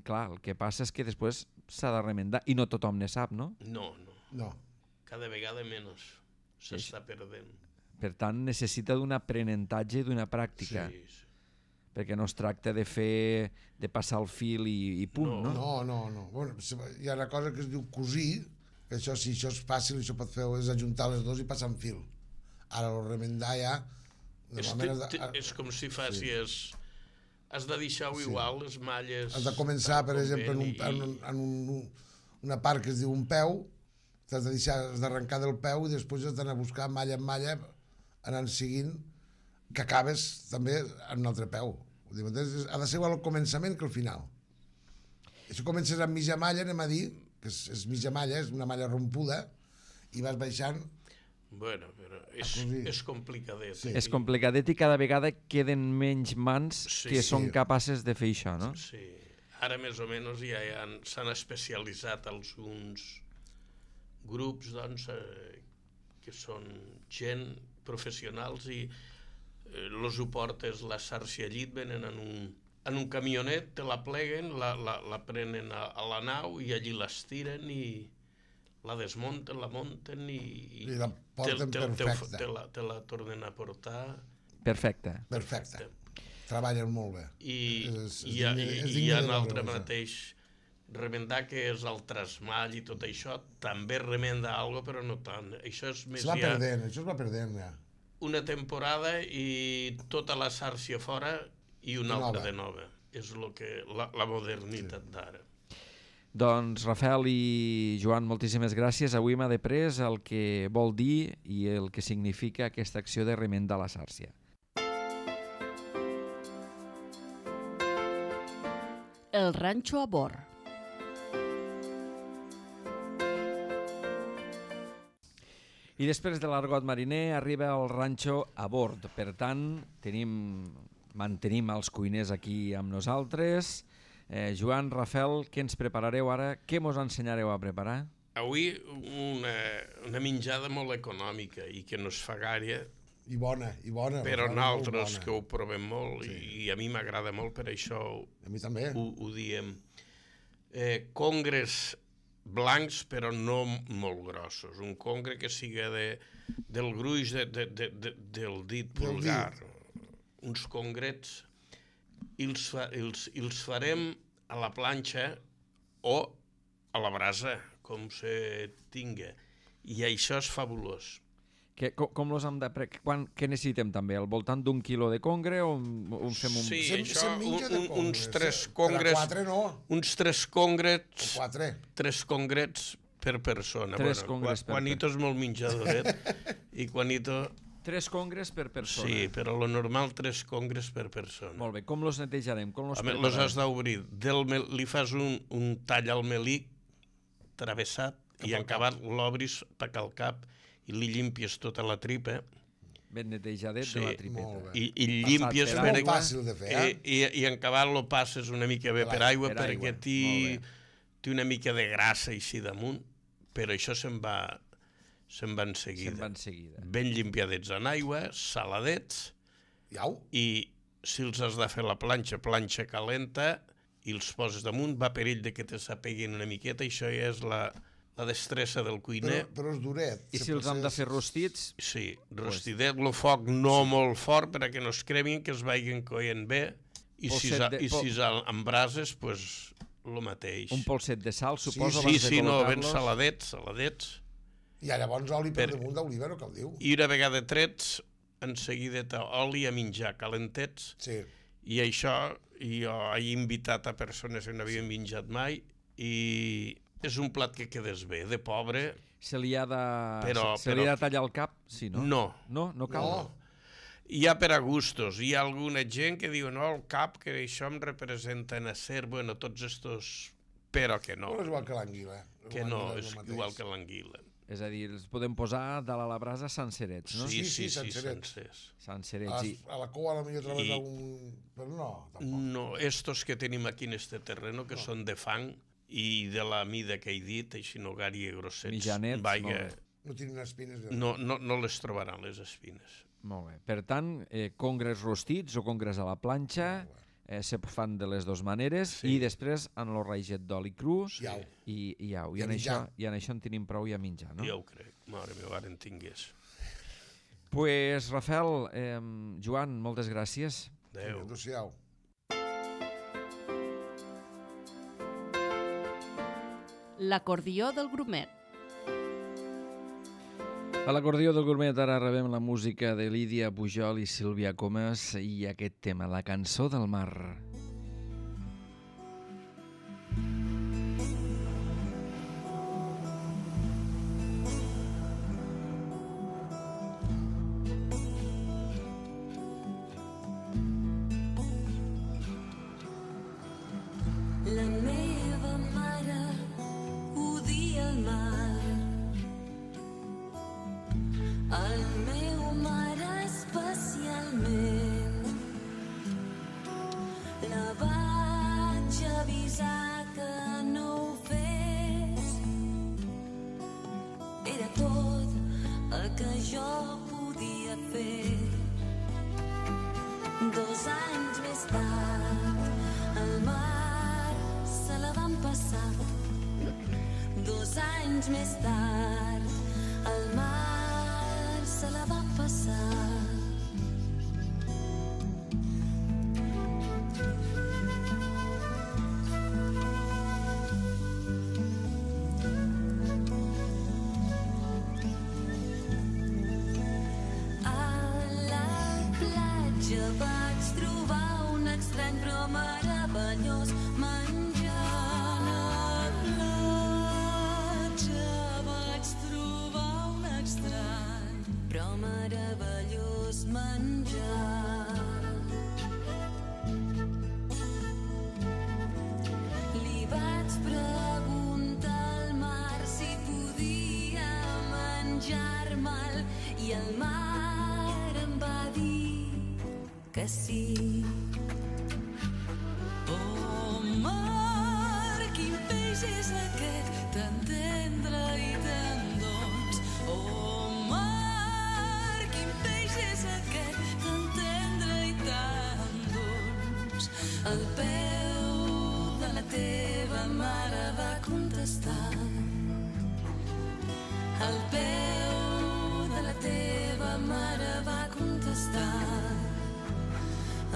clar, el que passa és que després s'ha de remendar i no tothom ne sap, no? No. Cada vegada menys s'està perdent. Per tant, necessita d'un aprenentatge i d'una pràctica. Sí. Perquè no es tracta de passar el fil i punt, no? No. Bueno, hi ha una cosa que es diu cosir, que això, si això és fàcil, això pot fer és ajuntar les dues i passar en fil. Ara el remendar ja... És com si facis... Has de deixar-ho igual, les malles... Has de començar, per exemple, en una part que es diu un peu, has d'arrencar del peu i després has d'anar a buscar malla en malla, anant seguint, que acabes també en un altre peu. Ha de ser igual al començament que al final. I si comences amb mitja malla, anem a dir, que és mitja malla, és una malla rompuda, i vas baixant... Bueno, però és complicadet. Sí. És complicadet i cada vegada queden menys mans que són capaces de fer això, no? Sí. Ara més o menys ja s'han especialitzat alguns grups, doncs, que són gent professionals i els ho portes la sàrcia llit, venen en un camionet, te la pleguen, la prenen a la nau i allí l'estiren i la desmunten, la munten i la porten perfecta. Te la tornen a portar. Perfecte. Treballen molt bé. I hi ha un altre mateix remendar, que és el trasmall i tot això, també remenda alguna cosa, però no tant. Això és més això es va perdent ja. Una temporada i tota la sàrcia fora i una altra de nova. És la modernitat d'ara. Doncs Rafael i Joan, moltíssimes gràcies. Avui m'ha deprès el que vol dir i el que significa aquesta acció de remendar la sàrcia. El ranxo a bord. I després de l'argot mariner arriba el ranxo a bord. Per tant, mantenim els cuiners aquí amb nosaltres. Joan, Rafel, què ens preparareu ara? Què mos ensenyareu a preparar? Avui una menjada molt econòmica i que no es fa gaire. I bona. Però nosaltres que ho provem molt i a mi m'agrada molt, per això a mi també. Ho diem. Congres blancs però no molt grossos. Un congre que siga del gruix del dit vulgar. Uns congrets i els farem a la planxa o a la brasa, com se tinga. I això és fabulós. Com los hem de... Què necessitem també? Al voltant d'un quilo de congre o fem un... Sí, això, uns 3 congres... Per a 4 no. Uns 3 congrets... 4. 3 congrets per persona. 3 congres per persona. Juanito és molt menjadoret i Juanito... 3 congres per persona. Sí, però lo normal 3 congres per persona. Molt bé, com los netejarem? Com los preparem? Los has d'obrir. Li fas un tall al melic travessat i en acabat l'obris per al cap i li llimpies tota la tripa. Ben netejadet de la tripeta. I llimpies... És molt fàcil de fer, I en acabat lo passes una mica bé per aigua perquè té una mica de grassa així damunt, però això se'n va en seguida. Ben limpiadets en aigua, saladets, i si els has de fer la planxa calenta, i els poses damunt, va per ell que te s'apeguin una miqueta, això ja és la destressa del cuiner. Però és duret. I si els hem de fer rostits? Sí, rostidet, el foc no molt fort perquè no es cremin, que es vagin coent bé, i si en brases, doncs el mateix. Un polset de sal, suposo, abans de col·locar-los. Ben saladets. I llavors oli per damunt d'oliva, no cal dir-ho. I una vegada trets, en seguida oli a menjar calentets. Sí. I això jo he invitat a persones que no havien menjat mai i és un plat que quedes bé, de pobre. Se li ha de tallar el cap? Sí, no? No cal? No. Hi ha per a gustos. Hi ha alguna gent que diu, no, el cap, que això em representa en acer, bueno, tots estos... Però que no. Però és igual que l'anguila. Que no, és igual que l'anguila. És a dir, els podem posar dalt a la brasa sencerets, no? Sí, sencers. Sencerets. A la cua potser trobes algun... Però no, tampoc. No, estos que tenim aquí en este terreno, que són de fang, i de la mida que he dit, així no gària grossets. Mitjanets, no tenen espines. No les trobaran, les espines. Molt bé. Per tant, congres rostits o congres a la planxa se fan de les dues maneres i després en el raïget d'oli cru i au. I en això en tenim prou i a menjar, no? Ja ho crec. Mare meva, ara en tingués. Pues, Rafel, Joan, moltes gràcies. Adéu. Adéu-siau. L'acordió del grumet. A l'acordió del grumet ara rebem la música de Lídia Pujol i Sílvia Comas i aquest tema, la cançó del mar. Preguntar al mar si podia menjar-me que sí. Oh, mar, quin peix és aquest, tan tendre i tan dolç. Oh, mar, quin peix és aquest, tan tendre i tan dolç. Al peu de la teva mare va contestar. Al peu de la teva mare va contestar.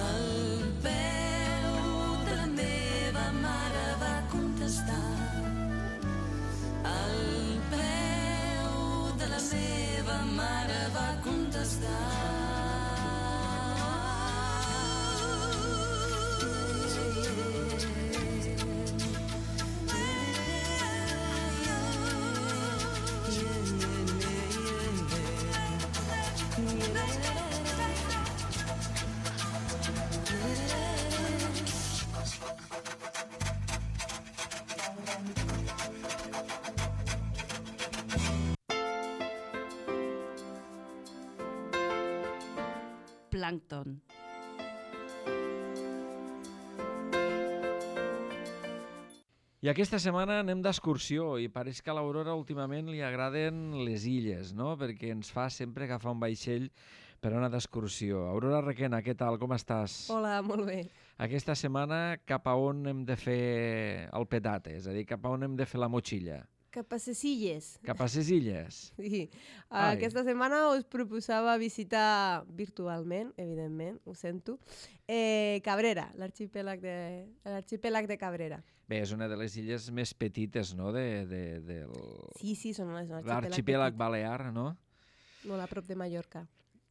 Al peu de la meva mare va contestar. Al peu de la meva mare va contestar. Plàncton. I aquesta setmana anem d'excursió i pareix que a l'Aurora últimament li agraden les illes, no? Perquè ens fa sempre agafar un vaixell per anar d'excursió. Aurora Requena, què tal? Com estàs? Hola, molt bé. Aquesta setmana cap a on hem de fer el petate? És a dir, cap a on hem de fer la motxilla? Cap a ses illes. Cap a ses illes? Sí. Ai. Aquesta setmana us proposava visitar virtualment, evidentment, ho sento, Cabrera, l'arxipèlag de Cabrera. Bé, és una de les illes més petites, no?, del... Sí, són l'arxipèlag balear, no? Molt a prop de Mallorca.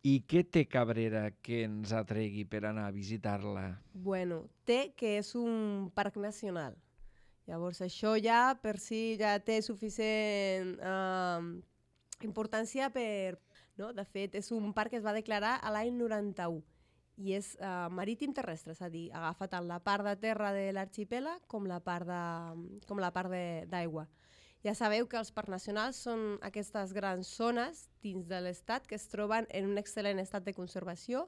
I què té Cabrera que ens atregui per anar a visitar-la? Té que és un parc nacional. Llavors, això ja per si ja té suficient importància per... No? De fet, és un parc que es va declarar a l'any 91 i és marítim terrestre, és a dir, agafa tant la part de terra de l'arxipèlag com la part d'aigua. Ja sabeu que els parcs nacionals són aquestes grans zones dins de l'estat que es troben en un excel·lent estat de conservació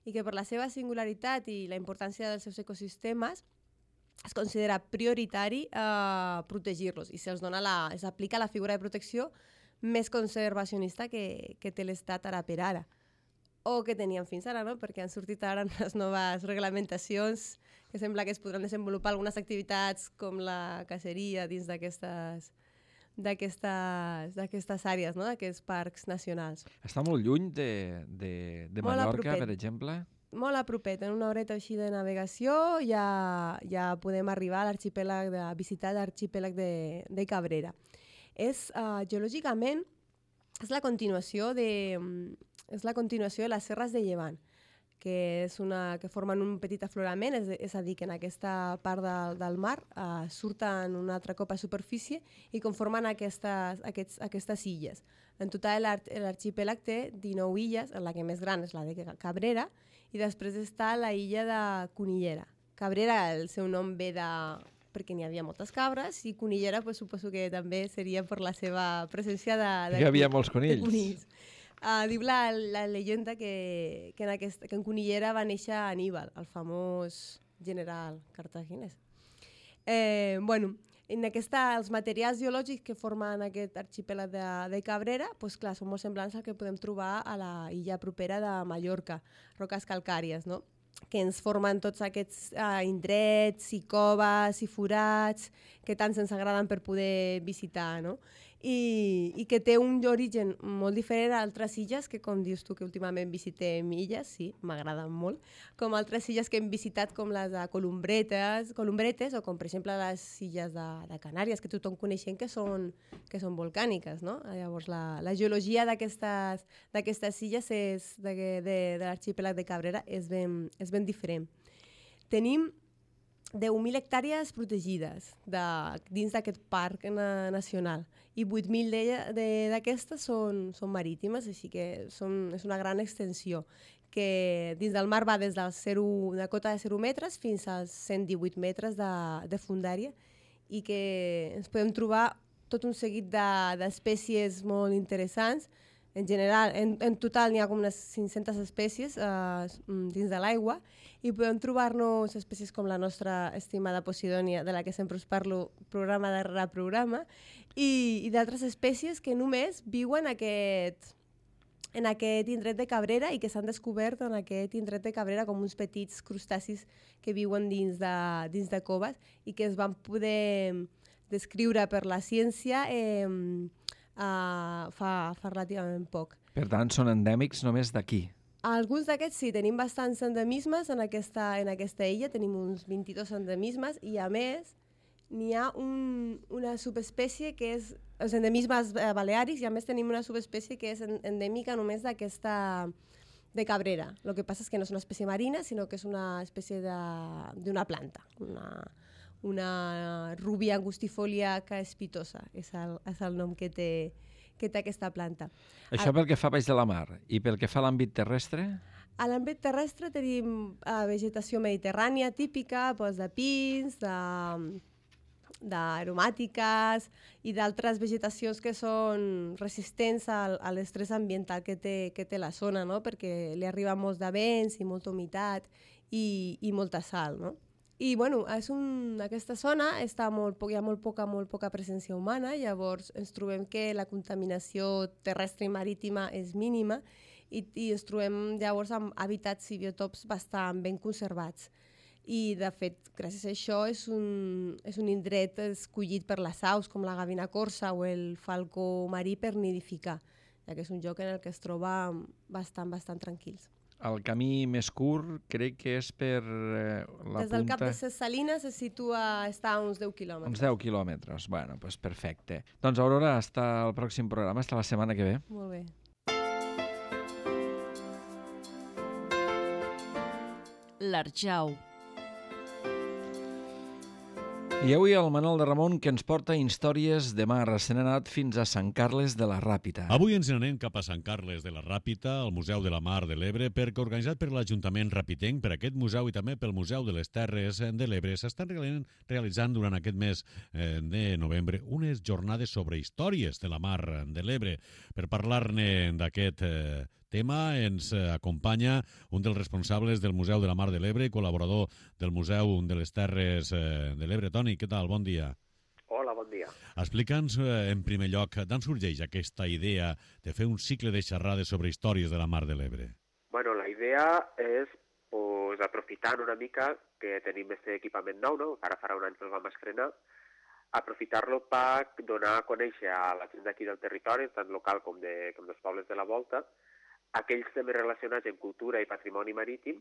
i que per la seva singularitat i la importància dels seus ecosistemes es considera prioritari protegir-los i s'aplica la figura de protecció més conservacionista que té l'Estat ara per ara. O que teníem fins ara, no? Perquè han sortit ara unes noves reglamentacions que sembla que es podran desenvolupar algunes activitats com la caceria dins d'aquestes àrees, no? D'aquests parcs nacionals. Està molt lluny de Mallorca, per exemple? Molt a propet, en una horeta així de navegació ja podem arribar a l'arxipèlag, a visitar l'arxipèlag de Cabrera. Geològicament és la continuació de les serres de Llevant, que formen un petit aflorament, és a dir, que en aquesta part del mar surten un altre cop a superfície i conformen aquestes illes. En total l'arxipèlag té 19 illes, en la que més gran és la de Cabrera, i després està la illa de Conillera. Cabrera, el seu nom ve perquè n'hi havia moltes cabres, i Conillera suposo que també seria per la seva presència de hi havia molts conills. Diu la llegenda que en Conillera va néixer Aníbal, el famós general cartaginès. Els materials geològics que formen aquest arxipèlag de Cabrera són molt semblants al que podem trobar a la illa propera de Mallorca, roques calcàries, no? Que ens formen tots aquests indrets i coves i forats que tant ens agraden per poder visitar, no? I que té un origen molt diferent a altres illes, que com dius tu que últimament visitem illes, sí, m'agraden molt, com altres illes que hem visitat com les de Columbretes o com per exemple les illes de Canàries, que tothom coneixem que són volcàniques, no? Llavors la geologia d'aquestes illes de l'arxipèlag de Cabrera és ben diferent. Tenim 10.000 hectàrees protegides dins d'aquest parc nacional i 8.000 d'aquestes són marítimes, així que és una gran extensió que dins del mar va des de cota de 0 metres fins als 118 metres de fondària i que ens podem trobar tot un seguit d'espècies molt interessants, En general, en total n'hi ha com unes 500 espècies dins de l'aigua i podem trobar-nos espècies com la nostra estimada Posidònia, de la que sempre us parlo programa darrere programa, i d'altres espècies que només viuen en aquest indret de Cabrera i que s'han descobert en aquest indret de Cabrera com uns petits crustacis que viuen dins de coves i que es van poder descriure per la ciència fa relativament poc. Per tant, són endèmics només d'aquí. Alguns d'aquests sí, tenim bastants endemismes en aquesta illa, tenim uns 22 endemismes i a més n'hi ha una subespècie que és els endemismes baleàrics i a més tenim una subespècie que és endèmica només d'aquesta de Cabrera. El que passa és que no és una espècie marina, sinó que és una espècie d'una planta, una rubia angustifolia caespitosa, és el nom que té aquesta planta. Això pel que fa baix de la mar. I pel que fa a l'àmbit terrestre? A l'àmbit terrestre tenim vegetació mediterrània típica, de pins, d'aromàtiques i d'altres vegetacions que són resistents a l'estrès ambiental que té la zona, no? Perquè li arriba molts de vents i molta humitat i molta sal, no? I bueno, aquesta zona hi ha molt poca presència humana, llavors ens trobem que la contaminació terrestre i marítima és mínima i ens trobem llavors amb hàbitats i biotops bastant ben conservats. I de fet, gràcies a això és un indret escollit per les aus com la gavina corsa o el falcó marí per nidificar, ja que és un lloc en el que es troba bastant tranquils. El camí més curt crec que és per la punta... Des del Cap de Ses Salines està a uns 10 quilòmetres. Uns 10 quilòmetres, bueno, doncs perfecte. Doncs Aurora, hasta el pròxim programa, hasta la setmana que ve. Molt bé. L'Arjau. I avui el Manol de Ramon que ens porta històries de mar. Se n'ha anat fins a Sant Carles de la Ràpita. Avui ens n'anem cap a Sant Carles de la Ràpita, al Museu de la Mar de l'Ebre, perquè organitzat per l'Ajuntament Rapitenc, per aquest museu i també pel Museu de les Terres de l'Ebre, s'estan realitzant durant aquest mes de novembre unes jornades sobre històries de la Mar de l'Ebre. Per parlar-ne d'aquest tema ens acompanya un dels responsables del Museu de la Mar de l'Ebre i col·laborador del Museu de les Terres de l'Ebre. Toni, què tal? Bon dia. Hola, bon dia. Explica'ns en primer lloc d'on sorgeix aquesta idea de fer un cicle de xerrades sobre històries de la Mar de l'Ebre. Bueno, la idea és aprofitant una mica que tenim aquest equipament nou, no? Ara farà un any que el vam estrenar, aprofitar-lo per donar a conèixer a la gent d'aquí del territori, tant local com dels pobles de la volta, aquells temes relacionats amb cultura i patrimoni marítim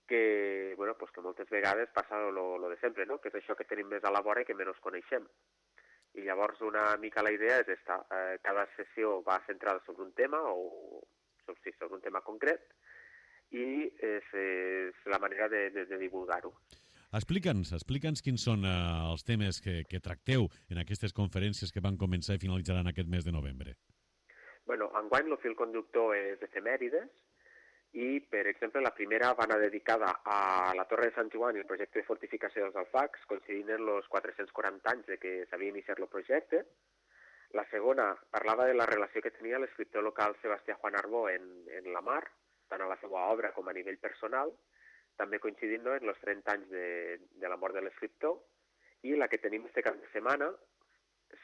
que, bueno, pues que moltes vegades passa lo de sempre, no? Que és això que tenim més a la vora i que menys coneixem. I llavors una mica la idea és esta. Cada sessió va centrada sobre un tema o sobre un tema concret i és la manera de divulgar-ho. Explica'ns quins són els temes que tracteu en aquestes conferències que van començar i finalitzaran aquest mes de novembre. Bueno, enguany el fil conductor és efemèrides i, per exemple, la primera va anar dedicada a la Torre de Sant Joan i el projecte de fortificació dels Alfacs, coincidint en els 440 anys de que s'havia iniciat el projecte. La segona parlava de la relació que tenia l'escriptor local Sebastià Juan Arbó en la mar, tant a la seva obra com a nivell personal, també coincidint en els 30 anys de la mort de l'escriptor, i la que tenim este cap de setmana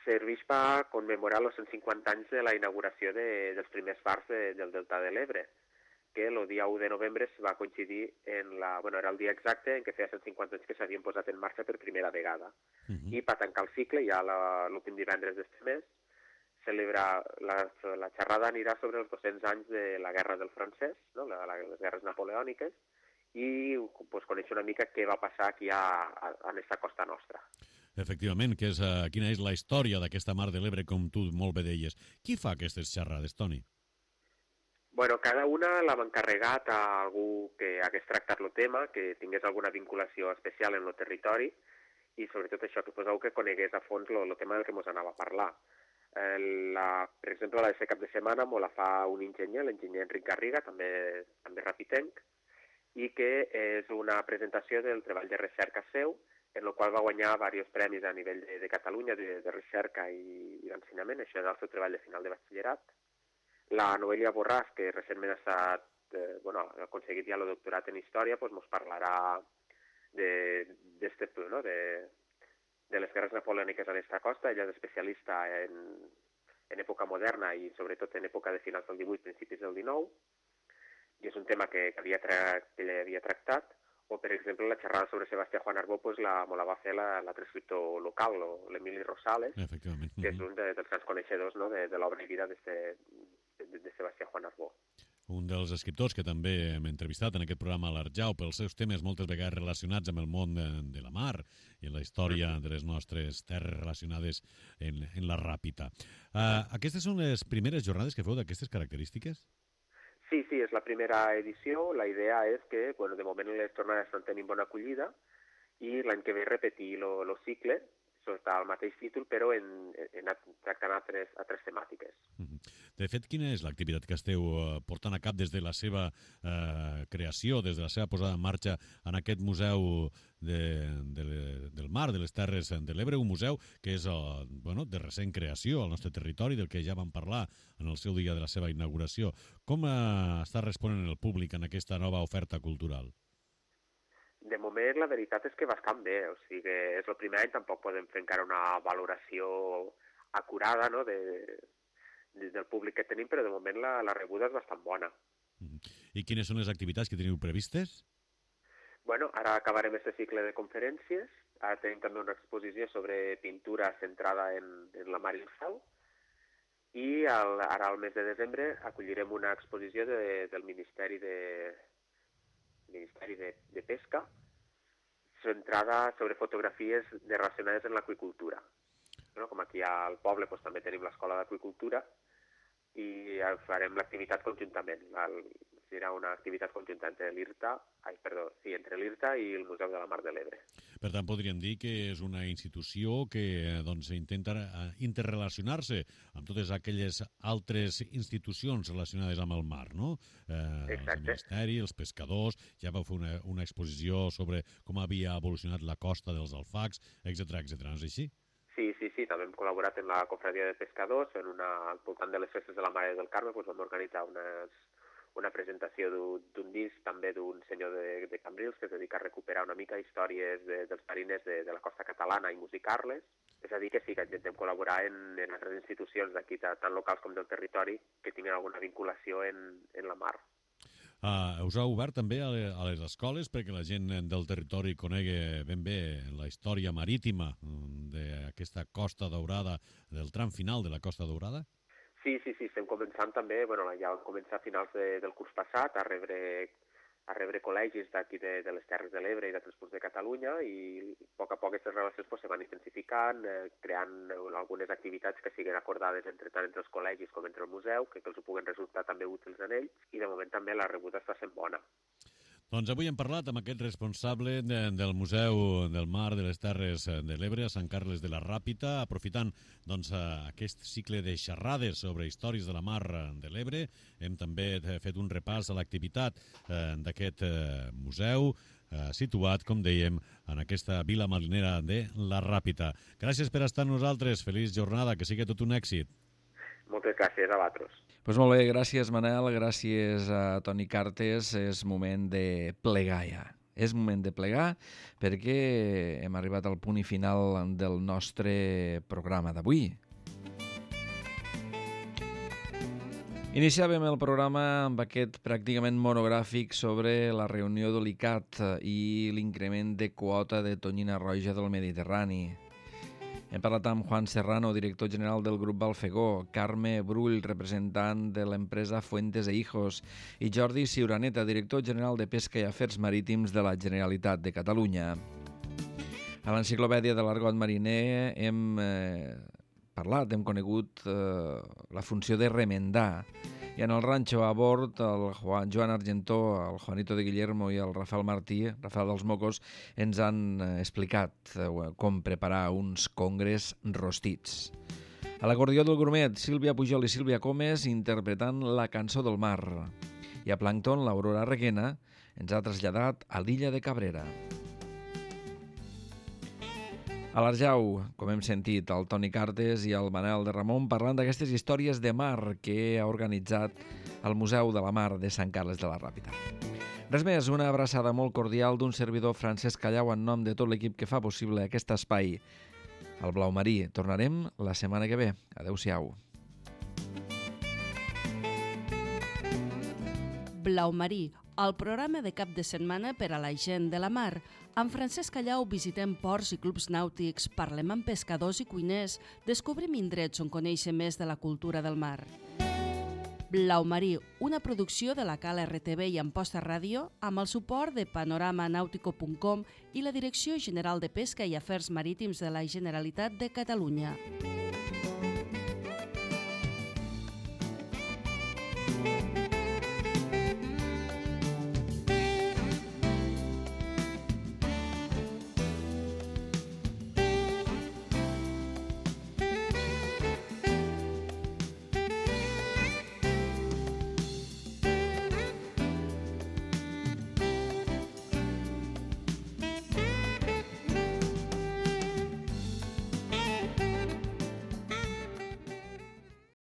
serveix per commemorar els 150 anys de la inauguració dels primers fars del Delta de l'Ebre, que el dia 1 de novembre va coincidir era el dia exacte en què feia 150 anys que s'havien posat en marxa per primera vegada. I per tancar el cicle, ja l'últim divendres d'este mes, la xerrada anirà sobre els 200 anys de la Guerra del Francès, no? Les guerres napoleòniques, i conèixer una mica què va passar aquí a aquesta costa nostra. Efectivament, quina és la història d'aquesta Mar de l'Ebre, com tu molt bé deies. Qui fa aquestes xerrades, Toni? Bueno, cada una l'ha encarregat a algú que hagués tractat el tema, que tingués alguna vinculació especial en el territori i sobretot això, que fos algú que conegués a fons el tema del que ens anava a parlar. Per exemple, la de cap de setmana me la fa un enginyer, l'enginyer Enric Garriga, també rapitenc, i que és una presentació del treball de recerca seu, en el qual va guanyar diversos premis a nivell de Catalunya de recerca i d'ensenyament. Això és el seu treball de final de batxillerat. La Noelia Borràs, que recentment ha aconseguit ja el doctorat en Història, doncs ens parlarà de les guerres napoleòniques a l'esta costa. Ella és especialista en època moderna i sobretot en època de finals del 18, principis del 19, i és un tema que ella havia tractat. O, per exemple, la xerrada sobre Sebastià Juan Arbó me la va fer l'altre escriptor local, l'Emili Rosales, que és un dels grans coneixedors de l'obra i vida de Sebastià Juan Arbó. Un dels escriptors que també hem entrevistat en aquest programa a l'Arjau pels seus temes moltes vegades relacionats amb el món de la mar i en la història de les nostres terres relacionades en la Ràpita. Aquestes són les primeres jornades que feu d'aquestes característiques? Sí, és la primera edició. La idea és que, de moment les jornades estan tenint bona acollida i l'any que ve repetir el cicle sota el mateix títol, però tractant altres temàtiques. De fet, quina és l'activitat que esteu portant a cap des de la seva creació, des de la seva posada en marxa en aquest museu del mar, de les Terres de l'Ebre, un museu que és de recent creació al nostre territori, del que ja vam parlar en el seu dia de la seva inauguració. Com està responent el públic en aquesta nova oferta cultural? De moment, la veritat és que bastant bé. O sigui, és el primer any, tampoc podem fer encara una valoració acurada del públic que tenim, però de moment la rebuda és bastant bona. I quines són les activitats que teniu previstes? Ara acabarem aquest cicle de conferències. Ara tenim també una exposició sobre pintura centrada en la mar i el cel. I ara, al mes de desembre, acollirem una exposició del Ministeri de Pesca, centrada sobre fotografies relacionades amb l'aqüicultura. Com aquí al poble també tenim l'escola d'aqüicultura i farem l'activitat conjuntament. Serà una activitat conjunta entre l'IRTA i el Museu de la Mar de l'Ebre. Per tant, podríem dir que és una institució que intenta interrelacionar-se amb totes aquelles altres institucions relacionades amb el mar, no? El Ministeri, els pescadors, ja vau fer una exposició sobre com havia evolucionat la costa dels alfacs, etc. No és així? Sí, també hem col·laborat en la Confraria de Pescadors, al voltant de les festes de la Mare del Carme, vam organitzar una presentació d'un disc també d'un senyor de Cambrils que es dedica a recuperar una mica històries dels mariners de la costa catalana i musicar-les. És a dir, que sí, que intentem col·laborar en altres institucions d'aquí, tant locals com del territori, que tinguin alguna vinculació en la mar. Us ha obert també a les escoles perquè la gent del territori conegui ben bé la història marítima d'aquesta Costa Daurada, del tram final de la Costa Daurada? Sí, estem començant també, ja vam començar a finals del curs passat a rebre col·legis d'aquí de les Terres de l'Ebre i d'altres punts de Catalunya i a poc aquestes relacions se van intensificant, creant algunes activitats que siguin acordades tant entre els col·legis com entre el museu, que els puguen resultar també útils en ells, i de moment també la rebuda està sent bona. Doncs avui hem parlat amb aquest responsable del Museu del Mar de les Terres de l'Ebre a Sant Carles de la Ràpita, aprofitant aquest cicle de xerrades sobre històries de la mar de l'Ebre. Hem també fet un repàs a l'activitat d'aquest museu, situat, com dèiem, en aquesta vila marinera de la Ràpita. Gràcies per estar amb nosaltres. Feliç jornada, que sigui tot un èxit. Moltes gràcies a vosaltres. Doncs molt bé, gràcies Manel, gràcies a Toni Cartes. És moment de plegar ja. És moment de plegar perquè hem arribat al punt i final del nostre programa d'avui. Iniciàvem el programa amb aquest pràcticament monogràfic sobre la reunió de l'ICAT i l'increment de quota de tonyina roja del Mediterrani. Hem parlat amb Juan Serrano, director general del grup Balfegó, Carme Brull, representant de l'empresa Fuentes e Hijos, i Jordi Ciuraneta, director general de Pesca i Afers Marítims de la Generalitat de Catalunya. A l'enciclopèdia de l'argot mariner hem hem conegut la funció de remendar. I en el ranxo a bord, el Joan Argentó, el Juanito de Guillermo i el Rafael Martí, Rafael dels Mocos, ens han explicat com preparar uns congres rostits. A l'acordió del grumet, Sílvia Pujol i Sílvia Comes interpretant la cançó del mar. I a Plàncton, l'Aurora Reguena ens ha traslladat a l'illa de Cabrera. A l'Arjau, com hem sentit, el Toni Cartes i el Manel de Ramon parlant d'aquestes històries de mar que ha organitzat el Museu de la Mar de Sant Carles de la Ràpita. Res més, una abraçada molt cordial d'un servidor Francesc Callau en nom de tot l'equip que fa possible aquest espai. Al Blau Marí. Tornarem la setmana que ve. Adéu-siau. Blau Marí, el programa de cap de setmana per a la gent de la mar. Amb Francesc Callau visitem ports i clubs nàutics, parlem amb pescadors i cuiners, descobrim indrets on conèixer més de la cultura del mar. Blau Marí, una producció de la Cala RTV i Amposta Ràdio amb el suport de panoramanautico.com i la Direcció General de Pesca i Afers Marítims de la Generalitat de Catalunya.